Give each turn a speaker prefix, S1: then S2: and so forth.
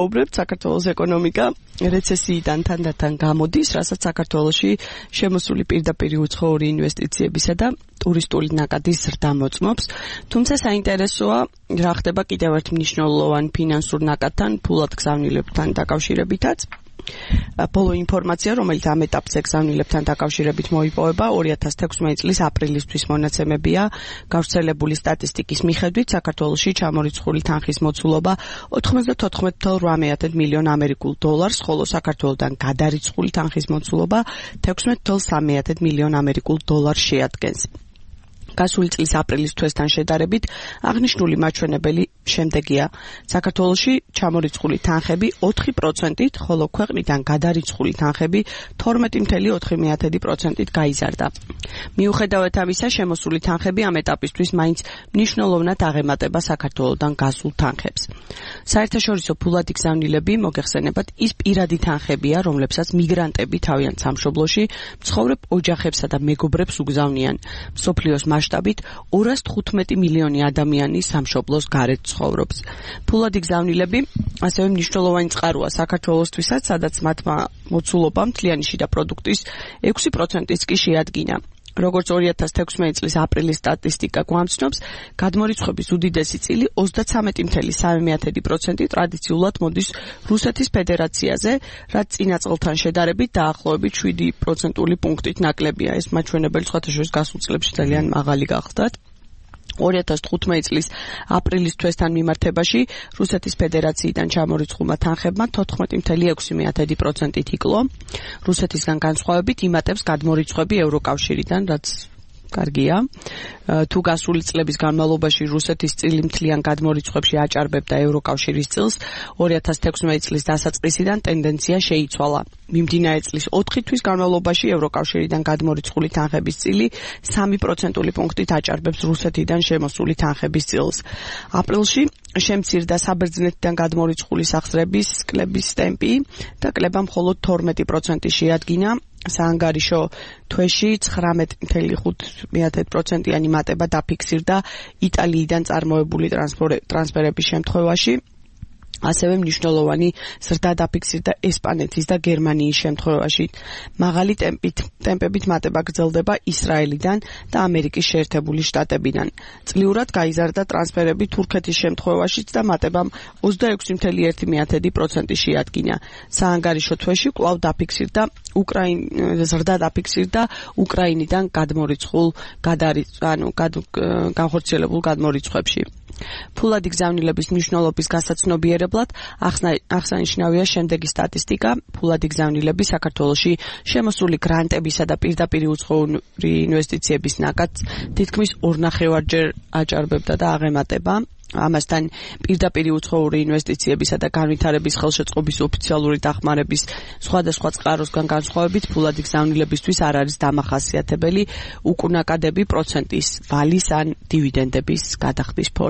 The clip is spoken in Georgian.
S1: ვუბრებთ საქართველოს ეკონომიკა რეცესიიდან თანდათან გამოდის, რასაც საქართველოში შემოსული პირდაპირ უცხოური ინვესტიციებისა და ტურისტული ნაკადის ზრდა მოწმობს. თუმცა საინტერესოა, რა ხდება კიდევ ერთ მნიშვნელოვან ფინანსურ ნაკადთან, ფულად გზავნილებთან დაკავშირებითაც. ბოლო ინფორმაცია, რომელიც ამ ეტაპზე გზავნილებთან დაკავშირებით მოიპოვება, 2016 წლის აპრილისთვის მონაცემებია. გავრცელებული სტატისტიკის მიხედვით, საქართველოში ჩამორიცხული თანხის მოცულობა 94.8 მილიონ ამერიკულ დოლარს, ხოლო საქართველოდან გადარიცხული თანხის მოცულობა 16.3 მილიონ ამერიკულ დოლარს შეადგენს. გასული წლის აპრილის თვესთან შედარებით აღნიშნული მაჩვენებელი შემდეგია. საქართველოში ჩამორიცხული თანხები 4%-ით, ხოლო ქვეყნიდან გადარიცხული თანხები 12.4%-ით გაიზარდა. მიუხედავად ამისა, შემოსული თანხები ამ ეტაპისთვის მაინც მნიშვნელოვნად აღემატება საქართველოდან გასულ თანხებს. საერთაშორისო ფულადი გზავნილები მოგეხსენებათ ის პირადი თანხებია, რომლებსაც მიგრანტები თავიანთ სამშობლოში მცხოვრებ ოჯახებსა და მეგობრებს უგზავნიან. მსოფლიოს მასშტაბით 215 მილიონი ადამიანი სამშობლოს გარეთ ცხოვრობს. ფულადი გზავნილები ასევე მნიშვნელოვანი წყაროა საქართველოსთვისაც, სადაც მათმა მოცულობამ მთლიანი შიდა პროდუქტის 6%-იც კი შეადგინა. როგორც 2016 წლის აპრილის სტატისტიკა გვამცნობს, გადმორიცხვების უდიდესი წილი 33.3% ტრადიციულად მოდის რუსეთის ფედერაციაზე, რაც წინა წელთან შედარებით დაახლოებით 7% პუნქტით ნაკლებია. ეს მაჩვენებელი სხვათა შორის გასულ წლებში ძალიან მაღალი გახლდათ. 2015 წლის აპრილის თვესთან მიმართებაში რუსეთის ფედერაციიდან ჩამორიცხულმა თანხებმა 14.6%-ით იკლო. რუსეთისგან განსხვავებით იმატებს გადმორიცხვები ევროკავშირიდან, რაც კარგია. თუ გასული წლების განმავლობაში რუსეთის წილი მთლიან გადმორიცხვებში აჭარბებდა ევროკავშირის წილს, 2016 წლის დასაწყისიდან ტენდენცია შეიცვალა. მიმდინარე წლის 4 თვის განმავლობაში ევროკავშირიდან გადმორიცხული თანხების წილი 3% პუნქტით აჭარბებს რუსეთიდან შემოსული თანხების წილს. აპრილში შემცირდა საბერძნეთიდან გადმორიცხული სახსრების კლების ტემპი და კლება მხოლოდ 12% შეადგინა. საანგარიშო თვეში 19.5%-იანი მატება დაფიქსირდა იტალიიდან წარმოებული ტრანსფერების შემთხვევაში. ასევე მნიშვნელოვანი ზრდა დაფიქსირდა ესპანეთის და გერმანიის შემთხვევაში. მაღალი ტემპებით მატება გრძელდება ისრაელიდან და ამერიკის შეერთებული შტატებიდან. წლიურად გაიზარდა ტრანსფერები თურქეთის შემთხვევაშიც და მატებამ 26.1% შეადგინა. საანგარიშო თვეში კვლავ ზრდა დაფიქსირდა უკრაინიდან განხორციელებულ გადმორიცხვებში. ფულადი გზავნილების მნიშვნელობის გასაცნობიერებლად აღსანიშნავია შემდეგი სტატისტიკა. ფულადი გზავნილები საქართველოში შემოსული გრანტებისა და პირდაპირ უცხოური ინვესტიციების ნაკადს თითქმის 2.5-ჯერ აჭარბებდა და აღემატება. ამასთან პირდაპირ უცხოური ინვესტიციებისა და განვითარების ხელშეწყობის ოფიციალური დახმარების სხვადასხვა წყაროსგან განსხვავებით ფულადი გზავნილებისთვის არ არის დამახასიათებელი უკუნაკადები პროცენტის, ვალის ან დივიდენდების გადახდის